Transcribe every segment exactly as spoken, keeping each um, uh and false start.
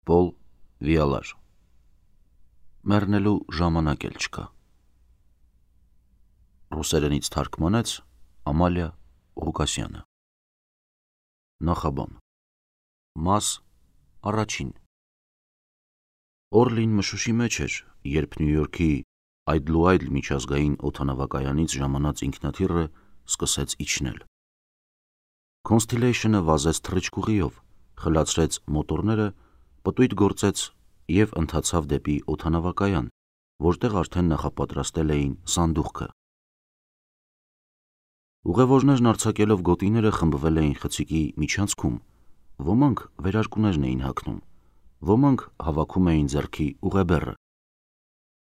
Պոլ Վիալար Մեռնելու ժամանակ էլ չկա։ Ռուսերենից թարգմանեց Ամալիա Ղուկասյանը։ Նախաբան Մաս առաջին Օրլին մշուշի մեջ էր, երբ Նյու Յորքի Այդլուայդ միջազգային օդանավակայանից ժամանած ինքնաթիռը սկսեց իջնել։ Constellation-ը վազեց թռիչքուղիով, խլացրեց մոտորները, պտույտ գործեց և ընթացավ դեպի օդանավակայան, որտեղ արդեն նախապատրաստել էին սանդուղքը։ Ուղևորներն արձակելով գոտիները խմբվել էին խցիկի միջանցքում, ոմանք վերարկուներն էին հագնում, ոմանք հավաքում էին ձեռքի ուղեբեռը։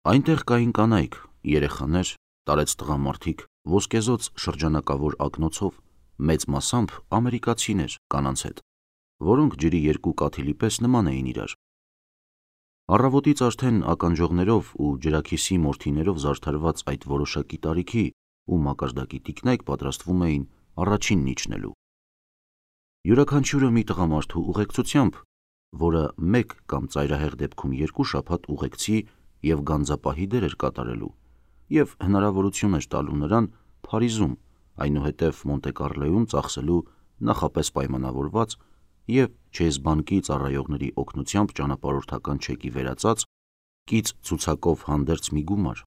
Այնտեղ կային կանայք, երեխաներ, տարեց տղամարդիկ, ոսկեզօծ շրջանակավոր ակնոցով, մեծ մասամբ ամերիկացիներ կանանց հետ, որոնք ջրի երկու կաթիլի պես նման էին իրար։ Առավոտից արդեն ականջողներով ու ջրաքիսի մորթիներով զարդարված այդ որոշակի տարիքի ու մակարդակի տիկնայք պատրաստվում էին առաջինն իջնելու։ Յուրաքանչյուրը մի տղամարդու ուղեկցությամբ, որը մեկ կամ ծայրահեղ դեպքում երկու շաբաթ ուղեկցի և գանձապահի դեր էր կատարելու և հնարավորություն էր տալու նրան Փարիզում, այնուհետև Մոնտե Կառլոյում ծախսելու նախապես պայմանավորված և Չեյզ բանկի ծառայողների օգնությամբ ճանապարհորդական չեկի վերածած կից ցուցակով հանդերձ մի գումար։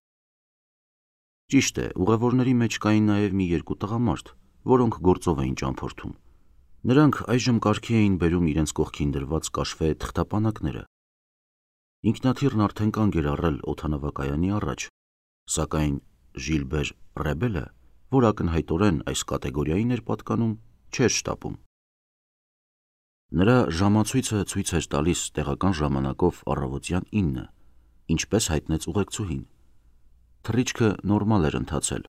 Ճիշտ է, ուղևորների մեջ կային նաև մի երկու տղամարդ, որոնք գործով էին ճամփորդում։ Նրանք այժմ կարգի էին բերում իրենց կողքին դրված կաշվե թղթապանակները։ Ինքնաթիռն արդեն կանգ էր առել օդանավակայանի առաջ, սակայն Ժիլբեր Ռեբելը, որ ակնհայտորեն այս կատեգորիային էր պատկանում, չէր շտապում։ Նրա ժամացույցը ցույց էր տալիս տեղական ժամանակով առավոտյան ինը, ինչպես հայտնեց ուղեկցուհին։ Թռիչքը նորմալ էր ընթացել,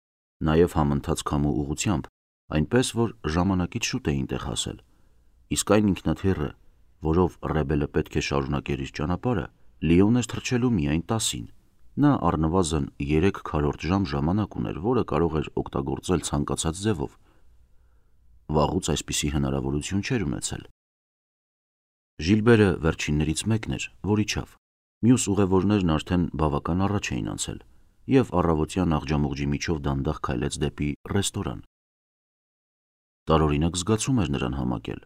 նաև համընթաց քամու ուղղությամբ, այնպես որ ժամանակից շուտ էին տեղ հասել, իսկ այն ինքնաթիռը, որով Ռեբելը պետք է շարունակեր իր ճանապարհը, Լիոն էր թռչելու միայն տասին։ Նա առնվազն երեք քառորդ ժամ ժամանակ ուներ, որը կարող էր օգտագործել ցանկացած ձևով։ Վաղուց այսպիսի հնարավորություն չէր ունեցել։ Ժիլբերը վերջիններից մեկն էր, որ իջավ։ Մյուս ուղևորներն արդեն բավական առաջ էին անցել, և առավոտյան աղջամուղջի միջով դանդաղ քայլեց դեպի ռեստորան։ Տարօրինակ զգացում էր նրան համակել։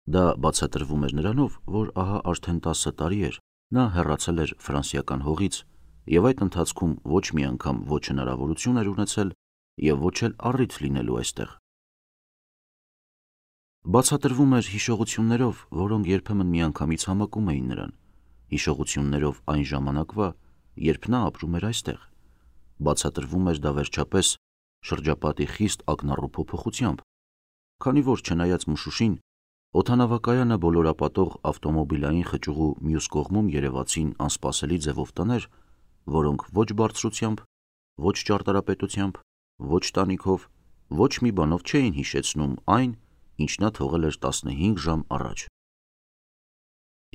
Դա բացատրվում էր նրանով, որ ահա արդեն տասը տարի էր նա հեռացել էր ֆրանսիական հողից և այդ ընթացքում ոչ մի անգամ ոչ հնարավորություն էր ունեցել և ոչ էլ առիթ լինելու այստեղ։ Բացատրվում էր հիշողություններով, որոնք երբեմն միանգամից համակում էին նրան, հիշողություններով այն ժամանակվա, երբ նա ապրում էր այստեղ։ Բացատրվում էր դա վերջապես շրջապատի խիստ ակնառու փոփոխությամբ, քանի որ չնայած մշուշին, օդանավակայանը բոլորապատող ավտոմոբիլային խճուղու մյուս կողմում երևացին անսպասելի ձևով տներ, որոնք ոչ բարձրությամբ, ոչ ճարտարապետությամբ, ոչ տանիքով, ոչ մի բանով չէին հիշեցնում այն, ինչ նա թողել էր տասնհինգ ժամ առաջ։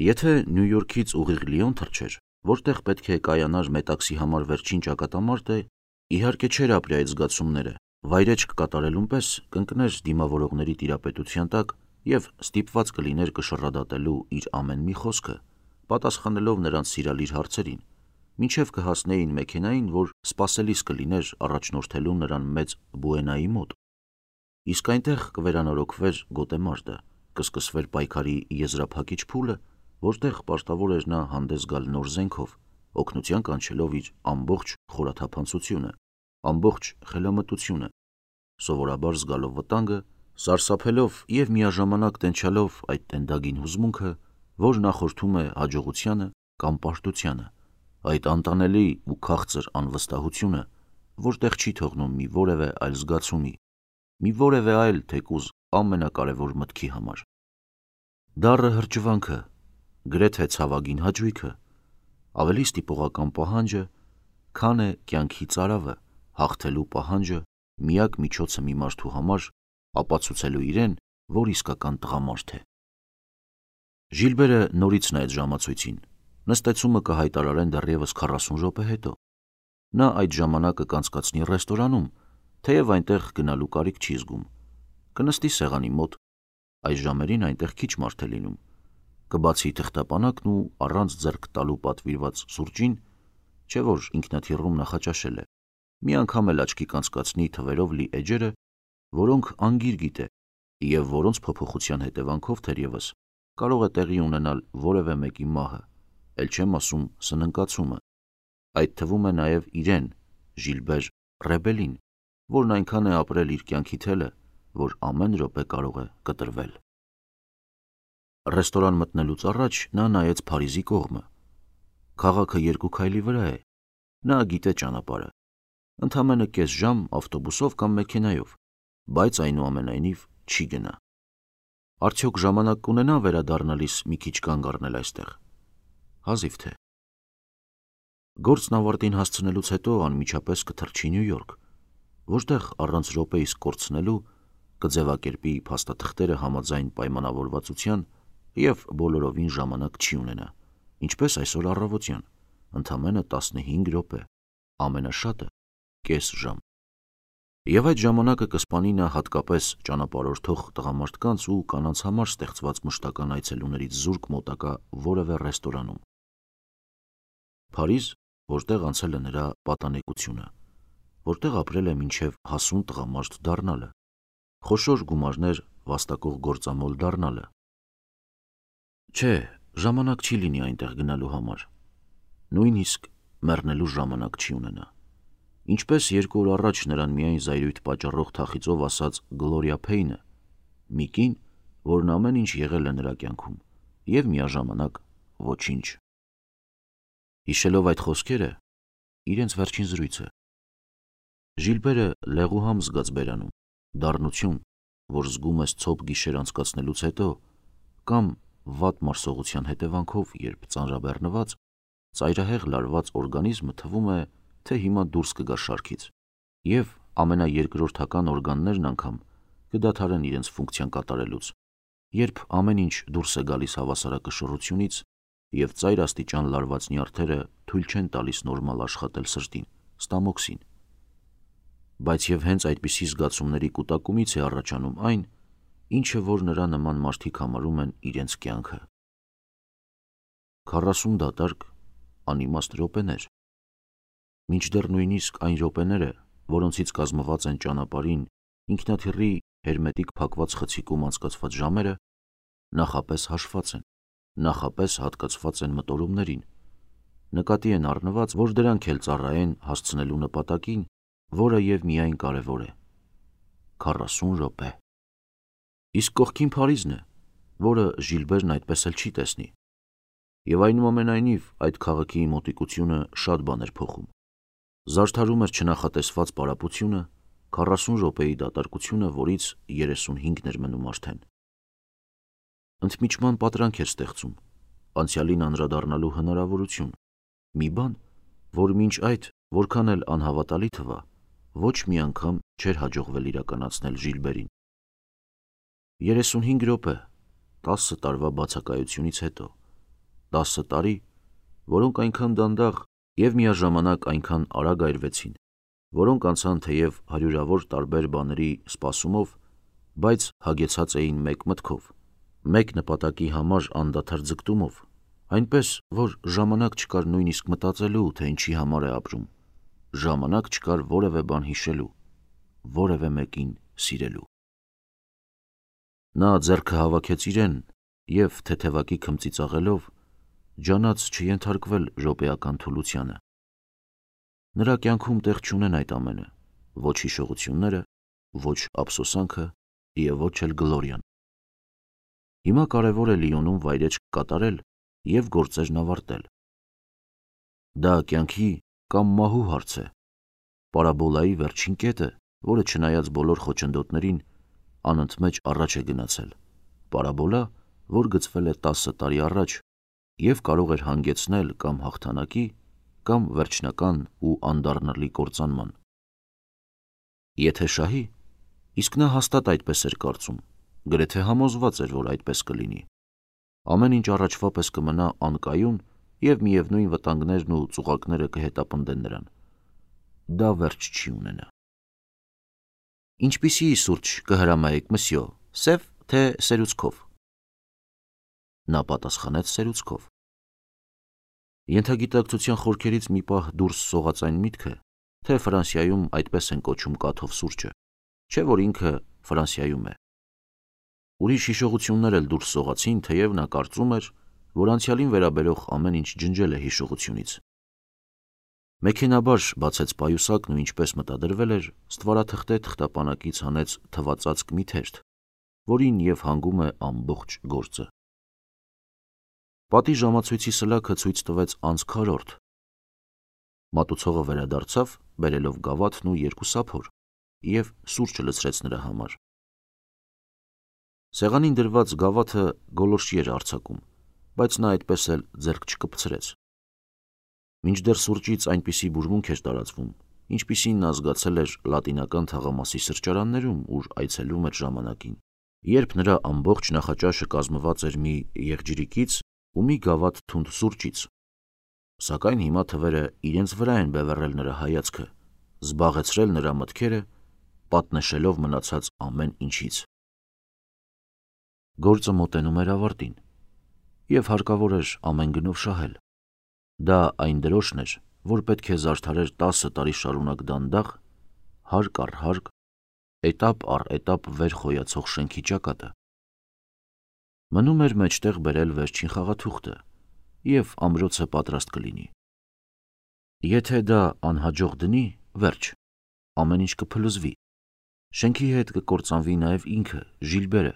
Եթե Նյու Յորքից ուղիղ Լիոն թռչեր, որտեղ պետք է կայանար մետաքսի համար վերջին ճակատամարտը, իհարկե չէր ապրի այդ զգացումները, վայրէջք կատարելուն պես կընկներ դիմավորողների տիրապետության տակ և ստիպված կլիներ կշռադատելու իր ամեն մի խոսքը, պատասխանելով նրանց սիրալիր հարցերին, մինչև կհասնեին մեքենային, որ սպասելիս կլիներ առաջնորդելու նրան մեծ Բուենայի մոտ։ Իսկ այնտեղ կվերանորոգվեր գոտեմարտը, կսկսվեր պայքարի եզրափակիչ փուլը, որտեղ պարտավոր էր նա հանդես գալ նոր զենքով, օգնության կանչելով իր ամբողջ խորաթափանցությունը, ամբողջ խելամտությունը, սովորաբար զգալով վտանգը, սարսափելով և միաժամանակ տենչալով այդ տենդագին հուզմունքը, որ նախորդում է հաջողությանը կամ պարտությանը, այդ անտանելի ու քաղցր անվստահությունը, որտեղ չի թողնում մի որևէ այլ զգացումի, մի որևէ այլ թեկուզ ամենակարևոր մտքի համար։ Դառը հրճվանքը, գրեթե ցավագին հաճույքը, ավելի ստիպողական պահանջը, քան է կյանքի ծարավը, հաղթելու պահանջը, միակ միջոցը մի մարդու համար ապացուցելու իրեն, որ իսկական տղամարդ է։ Ժիլբերը նորից նայեց ժամացույցին։ Նստեցումը կհայտարարեն դեռևս քառասուն րոպե հետո։ Նա այդ ժամանակը կանցկացնի ռեստորանում, թեև այնտեղ գնալու կարիք չի զգում։ Կնստի սեղանի մոտ, այս ժամերին այնտեղ քիչ մարդ է լինում, կբացի թղթապանակն ու առանց ձեռք տալու պատվիրված սուրճին, չէ որ ինքնաթիռում նախաճաշել է, մի անգամ էլ աչքի կանցկացնի թվերով լի էջերը, որոնք անգիր գիտե և որոնց փոփոխության հետևանքով թերևս կարող է տեղի ունենալ որևէ մեկի մահը, էլ չեմ ասում սննկացումը, այդ թվում է նաև իրեն, Ժիլբեր Ռեբելին, որն այնքան է ապրել իր կյանքի թելը, որ ամեն րոպե կարող է կտրվել։ Ռեստորան մտնելուց առաջ նա նայեց Փարիզի կողմը։ Քաղաքը երկու քայլի վրա է, նա գիտե ճանապարհը, ընդամենը կես ժամ ավտոբուսով կամ մեքենայով, բայց այնուամենայնիվ չի գնա։ Արդյոք ժամանակ կունենա վերադառնալիս մի քիչ կանգ առնել այստեղ։ Հազիվ թե։ Գործն ավարտին հասցնելուց հետո անմիջապես կթռչի Նյու Յորք, որտեղ առանց րոպեիս կորցնելու կձևակերպի փաստաթղթերը համաձայն պայմանավորվածության և բոլորովին ժամանակ չի ունենա, ինչպես այսօր առավոտյան, ընդամենը տասնհինգ րոպե, ամենաշատը կես ժամ։ Եվ այդ ժամանակը կսպանի նա հատկապես ճանապարհորդող տղամարդկանց ու կանանց համար ստեղծված մշտական այցելուներից զուրկ մոտակա որևէ ռեստորանում։ Փարիզ, որտեղ անցել է նրա պատանեկությունը, որտեղ ապրել է մինչև հասուն տղամարդ դառնալը, խոշոր գումարներ վաստակող գործամոլ դառնալը։ Չէ, ժամանակ չի լինի այնտեղ գնալու համար, նույնիսկ մեռնելու ժամանակ չի ունենա։ Ինչպես երկու օր առաջ նրան միայն զայրույթ պատճառող թախիծով ասաց Գլորիա Փեյնը, մի կին, որն ամեն ինչ եղել է նրա կյանքում և միաժամանակ ոչինչ։ Հիշելով այդ խոսքերը, իրենց վերջին զրույցը, Ժիլբերը լեղուհամ զգաց բերանում, դառնություն, որ զգում ես ցոփ գիշեր անցկացնելուց հետո, կամ վատ մարսողության հետևանքով, երբ ծանրաբեռնված, ծայրահեղ լարված օրգանիզմը թվում է, թե հիմա դուրս կգա շարքից, և ամենաերկրորդական օրգաններն անգամ կդադարեն իրենց ֆունկցիան կատարելուց, երբ ամեն ինչ դուրս է գալիս հավասարակշռությունից և ծայրաստիճան լարված նյարդերը թույլ չեն տալիս նորմալ աշխատել սրտին, ստամոքսին։ Բայց և հենց այդպիսի զգացումների կուտակումից է առաջանում այն, ինչը որ նրա նման մարդիկ համարում են իրենց կյանքը։ Քառասուն դատարկ, անիմաստ րոպեներ, մինչդեռ նույնիսկ այն րոպեները, որոնցից կազմված են ճանապարհին ինքնաթիռի հերմետիկ փակված խցիկում անցկացված ժամերը, նախապես հաշված են, նախապես հատկացված են մտորումներին, նկատի են առնված, որ դրանք էլ ծառայեն հասցնելու նպատակին, որը և միայն կարևոր է։ Քառասուն րոպե։ Իսկ կողքին Փարիզն է, որը Ժիլբերն այդպես էլ չի տեսնի։ Եվ այնուամենայնիվ այդ քաղաքի մոտիկությունը շատ բան էր փոխում։ Զարդարում էր չնախատեսված պարապությունը, քառասուն րոպեի դատարկությունը, որից երեսունհինգն էր մնում արդեն։ Ընդմիջման պատրանք էր ստեղծում, անցյալին անդրադառնալու հնարավորություն, մի բան, որ մինչ այդ, որքան էլ անհավատալի թվա, ոչ մի անգամ չէր հաջողվել իրականացնել Ժիլբերին։ երեսունհինգ րոպե, տասը տարվա բացակայությունից հետո, տասը տարի, որոնք այնքան դանդաղ և միաժամանակ այնքան արագ այրվեցին, որոնք անցան թեև հարյուրավոր տարբեր բաների սպասումով, բայց հագեցած էին մեկ մտքով, մեկ նպատակի համար անդադար ձգտումով, այնպես, որ ժամանակ չկար նույնիսկ մտածելու, թե ինչի համար է ապրում, ժամանակ չկար որևէ բան հիշելու, որևէ մեկին սիրելու։ Նա ձեռքը հավաքեց իրեն և թեթևակի քմծիծաղելով ջանաց չենթարկվել րոպեական թուլությանը։ Նրա կյանքում տեղ չունեն այդ ամենը, ոչ հիշողությունները, ոչ ափսոսանքը և ոչ էլ Գլորիան։ Հիմա կարևոր է Լիոնում վայրեջք կատարել և գործերն ավարտել։ Դա կյանքի կամ մահու հարց է, պարաբոլայի վերջին կետը, որը չնայած բոլոր խոչընդոտներին, անընդմեջ առաջ է գնացել, պարաբոլա, որ գծվել է տասը տարի առաջ և կարող էր հանգեցնել կամ հաղթանակի, կամ վերջնական ու անդառնալի կործանման։ Եթե շահի, իսկ նա հաստատ այդպես էր կարծում, գրեթե համոզված էր, որ այդպես կլինի, ամեն ինչ առաջվա պես կմնա անկայուն և միևնույն վտանգներն ու ծուղակները կհետապնդեն նրան, դա վերջ չի ունենա։ Ինչպիսի սուրճ կհրամայեք, մսյո, սև թե սերուցքով։ Նա պատասխանեց սերուցքով։ Ենթագիտակցության խորքերից մի պահ դուրս սողաց այն միտքը, թե Ֆրանսիայում այդպես են կոչում կաթով սուրճը, չէ որ ինքը Ֆրանսիայում է։ Ուրիշ հիշողություններ էլ դուրս սողացին, թեև նա կարծում էր, որ անցյալին վերաբերող ամեն ինչ ջնջել է հիշողությունից։ Մեքենաբար բացեց պայուսակն ու ինչպես մտադրվել էր, ստվարաթղթե թղթապանակից հանեց թվածածկ մի թերթ, որին և հանգում է ամբողջ գործը։ Պատի ժամացույցի սլաքը ցույց տվեց անց քառորդ։ Մատուցողը վերադարձավ, բերելով գավաթն ու երկու սափոր, և սուրճը լցրեց նրա համար։ Սեղանին դրված գավաթը գոլորշի էր արձակում, բայց նա այդպես էլ ձեռք չկպցրեց։ Մինչդեռ սուրճից այնպիսի բուրմունք էր տարածվում, ինչպիսին նա զգացել էր լատինական թաղամասի սրճարաններում, ուր այցելում էր ժամանակին, երբ նրա ամբողջ նախաճաշը կազմված էր մի եղջյուրիկից ու մի գավաթ թունդ սուրճից, սակայն հիմա թվերը իրենց վրա են բևեռել նրա հայացքը, զբաղեցրել նրա մտքերը, պատնեշելով մնացած ամեն ինչից։ Գործը մոտենում էր ավարտին, և հարկավոր էր ամեն գնով շահել։ Դա այն դրոշն էր, որ պետք է զարդարեր տասը տարի շարունակ դանդաղ, հարկ առ հարկ, էտապ առ էտապ վեր խոյացող շենքի ճակատը։ Մնում էր մեջտեղ բերել վերջին խաղաթուղթը, և ամրոցը պատրաստ կլինի։ Եթե դա անհաջող դնի, վերջ, ամեն ինչ կփլուզվի, շենքի հետ կկործանվի նաև ինքը, Ժիլբերը։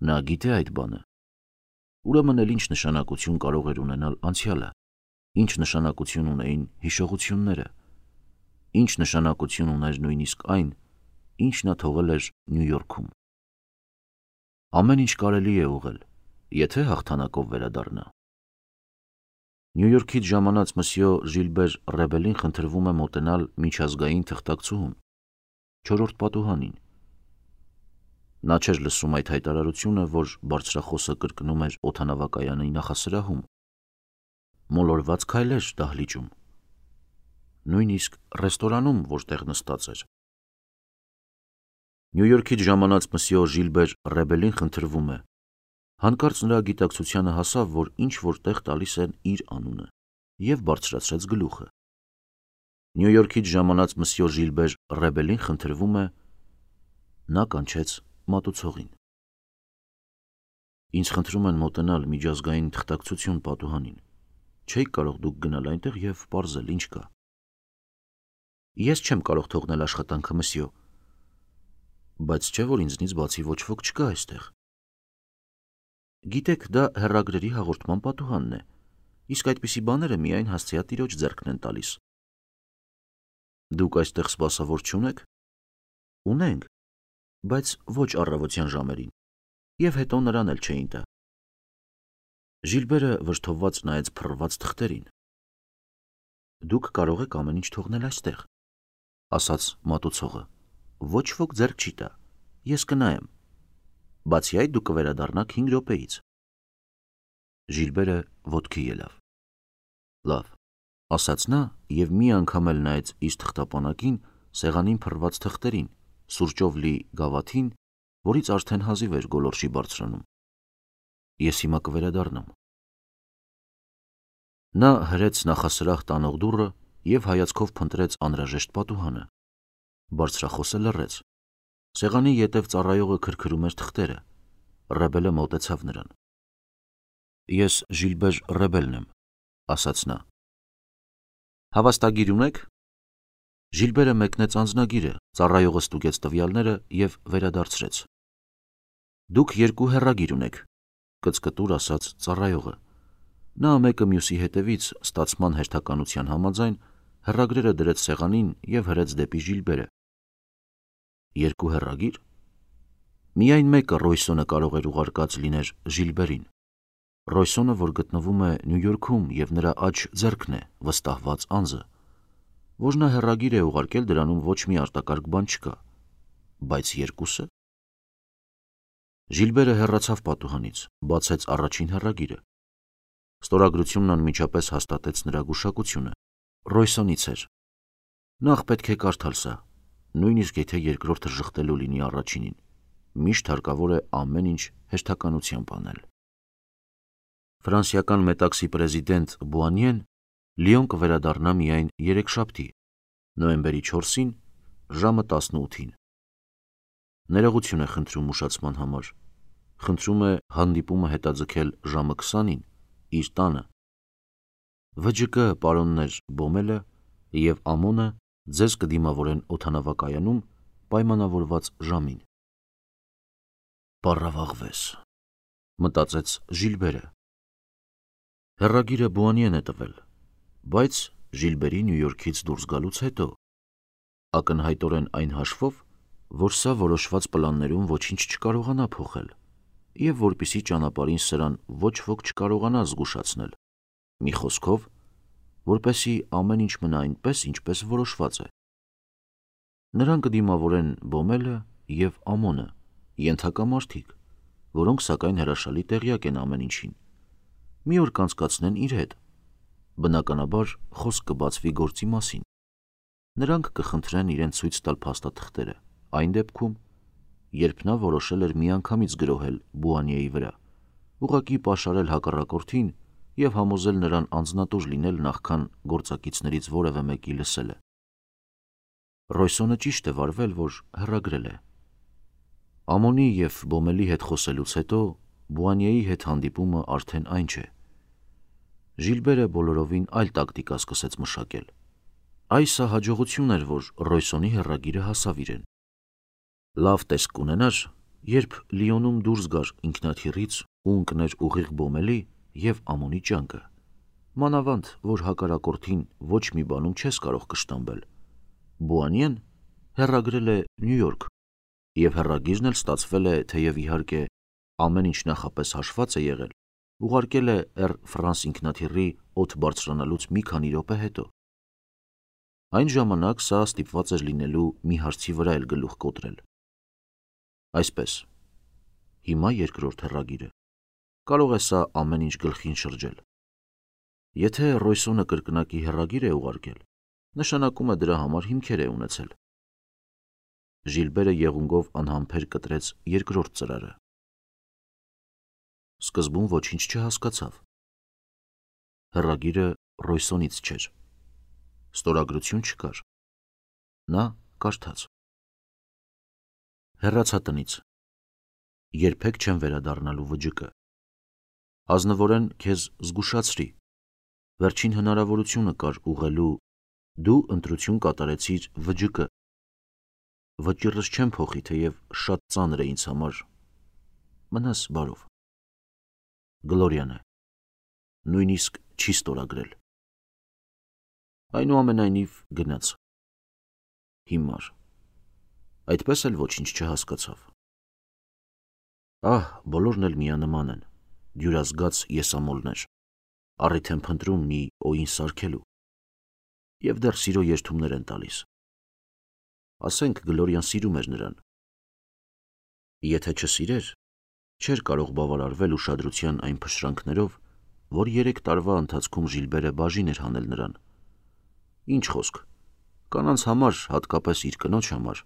Նա գիտե այդ բանը։ Ուրեմն էլ ինչ նշանակություն կարող էր ունենալ անցյալը, ինչ նշանակություն ունեին հիշողությունները, ինչ նշանակություն ուներ նույնիսկ այն, ինչ նա թողել էր Նյու Յորքում։ Ամեն ինչ կարելի է ուղղել, եթե հաղթանակով վերադառնա։ Նյու Յորքից ժամանած մսյո Ժիլբեր Ռեբելին խնդրվում է մոտենալ միջազգային թղթակցուհուն, չորրորդ պատուհանին։ Նա չէր լսում այդ հայտարարությունը, որ բարձրախոսը կրկնում էր օդանավակայանի նախասրահում, մոլորված քայլեր դահլիճում, նույնիսկ ռեստորանում, որտեղ նստած էր։ Նյու Յորքից ժամանած մսյո Ժիլբեր Ռեբելին խնդրվում է։ Հանկարծ նրա գիտակցությանը հասավ, որ ինչ-որ տեղ տալիս են իր անունը, և բարձրացրեց գլուխը։ Նյու Յորքից ժամանած մսյո Ժիլբեր Ռեբելին խնդրվում է։ Նա կանչեց մատուցողին։ Ինձ խնդրում են մոտենալ միջազգային թղթակցություն պատուհանին։ Չէիք կարող դուք գնալ այնտեղ և պարզել ինչ կա։ Ես չեմ կարող թողնել աշխատանքը, մսյո։ Բայց չէ՞ որ ինձնից բացի ոչ ոք չկա այստեղ։ Գիտեք, դա հեռագրերի հաղորդման պատուհանն է, իսկ այդպիսի բաները միայն հասցեատիրոջ ձեռքն են տալիս։ Դուք այստեղ սպասավոր չունե՞ք։ Ունենք, բայց ոչ առավոտյան ժամերին, և հետո նրան էլ չէին տա։ Ժիլբերը վրդովված նայեց փռված թղթերին։ Դուք կարող եք ամեն ինչ թողնել այստեղ, ասաց մատուցողը։ Ոչ ոք ձեռք չի տա, ես կնայեմ։ Բացի այդ դուք կվերադառնաք հինգ րոպեից։ Ժիլբերը ոտքի ելավ։ Լավ, ասաց նա և մի անգամ էլ նայեց իր թղթապանակին, սեղանին փռված թղթերին, սուրճով լի գավաթին, որից արդեն հազիվ էր գոլորշի բարձրանում։ Ես հիմա կվերադառնամ։ Նա հրեց նախասրահ տանող դուռը և հայացքով փնտրեց անհրաժեշտ պատուհանը։ Բարձրախոսը լռեց։ Սեղանի ետև ծառայողը քրքրում էր թղթերը։ Ռեբելը մոտեցավ նրան։ Ես Ժիլբեր Ռեբելն եմ, ասաց նա։ Հավաստագիր ունե՞ք։ Ժիլբերը մեկնեց անձնագիրը, ծառայողը ստուգեց տվյալները և վերադարձրեց։ Դուք երկու հեռագիր ունեք, կծկտուր ասաց ծառայողը։ Նա մեկը մյուսի հետևից ստացման հերթականության համաձայն հեռագրերը դրեց սեղանին և հրեց դեպի Ժիլբերը։ Երկու հեռագիր։ Միայն մեկը Ռոյսոնը կարող էր ուղարկած լիներ Ժիլբերին։ Ռոյսոնը, որ գտնվում է Նյու Յորքում և նրա աջ ձեռքն է, վստահված անձը։ Որ նա հեռագիր է ուղարկել, դրանում ոչ մի արտակարգ բան չկա։ Բայց երկուսը։ Ժիլբերը հեռացավ պատուհանից, բացեց առաջին հեռագիրը։ Ստորագրությունն անմիջապես հաստատեց նրա գուշակությունը։ Ռոյսոնից էր։ Նախ պետք է կարդալ սա, նույնիսկ եթե երկրորդը ժխտելու լինի առաջինին։ Միշտ հարկավոր է ամեն ինչ հերթականությամբ անել։ Ֆրանսիական Մետաքսի պրեզիդենտ Բուանիեն Լիոն կվերադառնա միայն երեքշաբթի, նոյեմբերի չորսին, ժամը տասնութին։ Ներողություն է խնդրում ուշացման համար։ Խնդրում է հանդիպումը հետաձգել ժամը քսանին իր տանը։ Վը ջը կը պարոններ Բոմելը և Ամոնը ձեզ կդիմավորեն օդանավակայանում պայմանավորված ժամին։ Պառավաղվես, մտածեց Ժիլբերը։ Հեռագիրը Բուանիեն է տվել, բայց Ժիլբերի Նյու Յորքից դուրս գալուց հետո, ակնհայտորեն այն հաշվով, որ սա որոշված պլաններում ոչինչ չկարողանա փոխել, և որպեսզի ճանապարհին սրան ոչ ոք չկարողանա զգուշացնել, մի խոսքով, որպեսզի ամեն ինչ մնա այնպես, ինչպես որոշված է։ Նրան կդիմավորեն Բոմելը և Ամոնը, ենթակա մարդիկ, որոնք սակայն հրաշալի տեղյակ են ամեն ինչին, մի օր կանցկացնեն իր հետ, բնականաբար խոսք կբացվի գործի մասին։ Նրանք կխնդրեն իրեն ցույց տալ փաստաթղթերը, այն դեպքում, երբ նա որոշել էր միանգամից գրոհել Բուանիեի վրա, ուղղակի պաշարել հակառակորդին և համոզել նրան անձնատուր լինել նախքան գործակիցներից որևէ մեկի լսելը։ Ռոյսոնը ճիշտ է վարվել, որ հեռագրել է։ Ամոնի և Բոմելի հետ խոսելուց հետո Բուանիեի հետ հանդիպումը արդեն այն չէ։ Ժիլբերը բոլորովին այլ տակտիկա սկսեց մշակել։ Այս հաջողություն էր, որ Ռոյսոնի հեռագիրը հասավ իրեն։ Լավ տեսք կունենար, երբ Լիոնում դուրս գար ինքնաթիռից ու ընկներ ուղիղ Բոմելի և Ամոնի ջանքը, մանավանդ, որ հակառակորդին ոչ մի բանում չես կարող կշտամբել։ Բուանիեն հեռագրել է Նյու Յորք, և հեռագիրն էլ ստացվել է, թեև իհարկե ամեն ինչ նախապես հաշված է եղել, ուղարկել է Էր Ֆրանս ինքնաթիռի օդ բարձրանալուց մի քանի րոպե հետո։ Այն ժամանակ սա ստիպված էր լինելու մի հարցի վրա էլ գլուխ կոտրել։ Այսպես, հիմա երկրորդ հեռագիրը։ Կարող է սա ամեն ինչ գլխին շրջել։ Եթե Ռոյսոնը կրկնակի հեռագիր է ուղարկել, նշանակում է դրա համար հիմքեր է ունեցել։ Ժիլբերը եղունգով անհամբեր կտրեց երկրորդ ծրարը։ Սկզբում ոչինչ չհասկացավ։ Հեռագիրը Ռոյսոնից չէր։ Ստորագրություն չկար։ Նա կարդաց. Հեռացա տնից։ Երբեք չեմ վերադառնալու վճկը։ Ազնվորեն քեզ զգուշացրի։ Վերջին հնարավորությունը կար ուղղելու, դու ընտրություն կատարեցիր վճկը։ Վճիռս չեմ փոխի, թեև շատ ծանր է ինձ համար։ Մնաս բարով։ Գլորիան է։ Նույնիսկ չի ստորագրել։ Այնուամենայնիվ գնաց։ Հիմար։ Այդպես էլ ոչինչ չհասկացավ։ Ահ, բոլորն էլ միանման են, դյուրազգաց եսամոլներ, առիթ են փնտրում մի օին սարքելու, և դեռ սիրո երդումներ են տալիս։ Ասենք Գլորիան սիրում էր նրան։ Եթե չսիրեր, չէր կարող բավարարվել ուշադրության այն փշրանքներով, որ երեք տարվա ընթացքում Ժիլբերը բաժին էր հանել նրան։ Ինչ խոսք, կանանց համար, հատկապես իր կնոջ համար,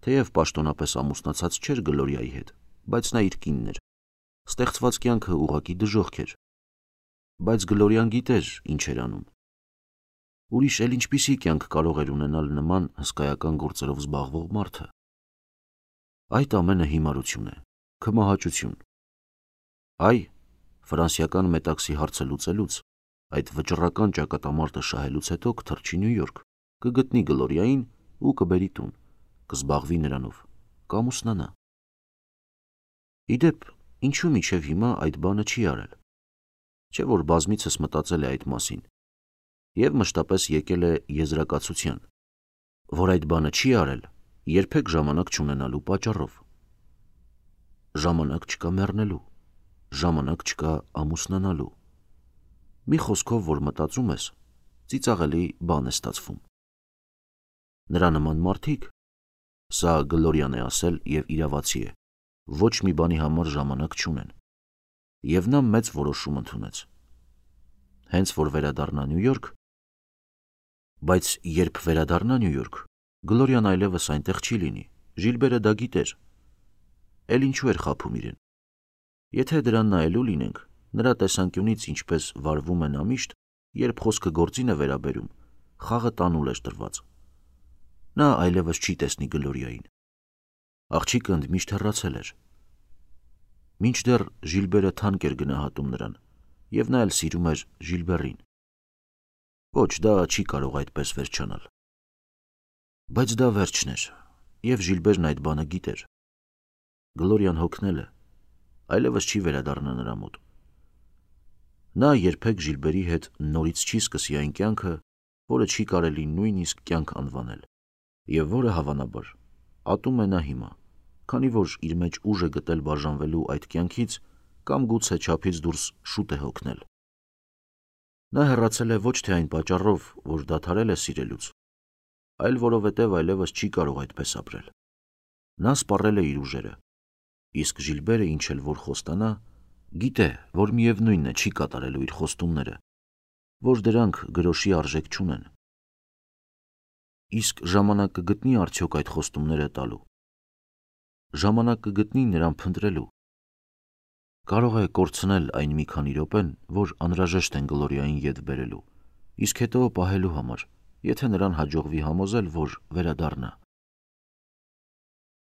թեև պաշտոնապես ամուսնացած չէր Գլորիայի հետ, բայց նա իր կինն էր, ստեղծված կյանքը ուղղակի դժոխք էր, բայց Գլորիան գիտեր ինչ էր անում։ Ուրիշ էլ ինչպիսի կյանք կարող էր ունենալ նման հսկայական գործերով զբաղվող մարդը։ Այդ ամենը հիմարություն է, քմահաճություն։ Այ, ֆրանսիական Մետաքսի հարցը լուծելուց, այդ վճռական ճակատամարտը շահելուց հետո կթռչի Նյու Յորք, կգտնի Գլորիային ու կբերի տուն, կզբաղվի նրանով, կամուսնանա։ Իդեպ, ինչու մինչև հիմա այդ բանը չի արել։ Չէ որ բազմիցս մտածել է այդ մասին, և մշտապես եկել է եզրակացության, որ այդ բանը չի արել երբեք ժամանակ չունենալու պատճառով։ Ժամանակ չկա մեռնելու, ժամանակ չկա ամուսնանալու։ Մի խոսքով, որ մտածում ես, ծիծաղելի բան է ստացվում։ Նրա նման մարդիկ, սա Գլորիան է ասել և իրավացի է, ոչ մի բանի համար ժամանակ չունեն։ Եվ նա մեծ որոշում ընդունեց։ Հենց որ վերադառնա Նյու Յորք, բայց երբ վերադառնա Նյու Յորք, Գլորիան այլևս այնտեղ չի լինի, Ժիլբերը դա գիտեր։ Էլ ինչու էր խաբում իրեն։ Եթե դրան նայելու լինենք, Նրա տեսանկյունից ինչպես վարվում է նա միշտ, երբ խոսքը գործին է վերաբերում, խաղը տանուլ էր տրված։ Նա այլևս չի տեսնի Գլորիային։ Աղջիկը ընդմիշտ հեռացել էր։ Մինչդեռ Ժիլբերը թանկ էր գնահատում նրան, և նա էլ սիրում էր Ժիլբերին։ Ոչ, դա չի կարող այդպես վերջանալ։ Բայց դա վերջն էր, և Ժիլբերն այդ բանը գիտեր։ Գլորիան հոգնել է, այլևս չի վերադառնա նրա մոտ։ Նա երբեք Ժիլբերի հետ նորից չի սկսի այն կյանքը, որը չի կարելի նույնիսկ կյանք անվանել, և որը, հավանաբար, ատում է նա հիմա, քանի որ իր մեջ ուժ է գտել բաժանվելու այդ կյանքից կամ գուցե չափից դուրս շուտ է հոգնել։ Նա հեռացել է ոչ թե այն պատճառով, որ դադարել է սիրելուց, այլ որովհետև այլևս չի կարող այդպես ապրել։ Նա սպառել է իր ուժերը, իսկ Ժիլբերը, ինչ էլ որ խոստանա, գիտե, որ միևնույնն է չի կատարելու իր խոստումները, որ դրանք գրոշի արժեք չունեն։ Իսկ ժամանակ կգտնի արդյոք այդ խոստումները տալու։ Ժամանակ կգտնի նրան փնտրելու։ Կարող է կորցնել այն մի քանի րոպեն, որ անհրաժեշտ են Գլորիային ետ բերելու, իսկ հետո պահելու համար, եթե նրան հաջողվի համոզել, որ վերադառնա։